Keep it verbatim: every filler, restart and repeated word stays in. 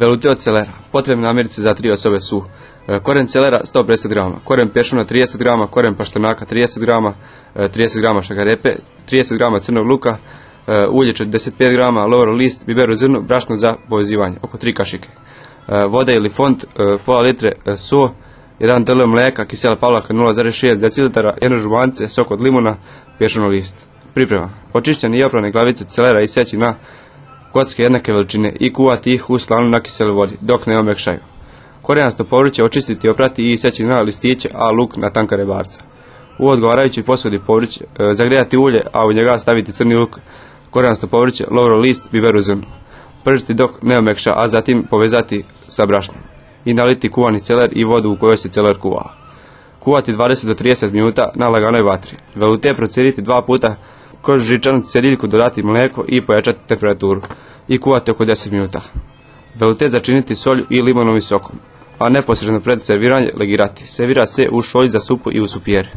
Velute od celera. Potrebne namirnice za tri osobe su koren celera sto pedeset grama, koren peršuna trideset grama, koren paštenaka trideset grama, trideset grama šakarepe, trideset grama crnog luka, ulje četrdeset pet grama, lovro list, biber u zrnu, brašno za povezivanje, oko tri kašike, vode ili font, pola litre so, jedan dl mleka, kisela pavlaka nula zarez šest decilitara, jedno žubance, sok od limuna, peršunov list. Priprema. Očišćene i oprane glavice celera iseći na kocke jednake veličine i kuvati ih u slanu na kisele vodi, dok ne omekšaju. Korenasto povrće očistiti, oprati i iseći na listiće, a luk na tanka rebarca. U odgovarajućoj posudi povrće zagrijati ulje, a u njega staviti crni luk, korenasto povrće, lovro list, biber u zrnu. Pržiti dok ne omekša, a zatim povezati sa brašnom. I naliti kuvani celer i vodu u kojoj se celer kuvao. Kuvati dvadeset do trideset minuta na laganoj vatri. Velute prociriti dva puta kroz žičanu cediljku, dodati mlijeko i pojačati temperaturu i kuvati oko deset minuta. Velute začiniti solju i limonovim sokom, a neposredno pred serviranje legirati. Servira se u šolji za supu i u supijeri.